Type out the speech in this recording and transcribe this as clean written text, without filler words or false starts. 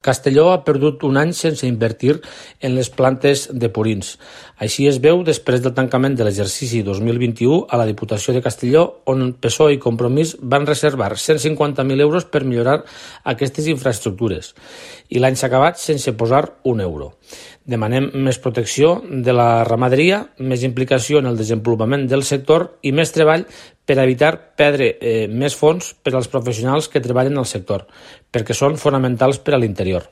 Castelló ha perdut un any sense invertir en les plantes de purins. Així es veu després del tancament de l'exercici 2021 a la Diputació de Castelló, on PSOE i Compromís van reservar 150.000 euros per millorar aquestes infraestructures. I l'any s'ha acabat sense posar un euro. Demanem més protecció de la ramaderia, més implicació en el desenvolupament del sector i més treball per evitar perdre més fons per als professionals que treballen al sector, perquè són fonamentals per a l'interior.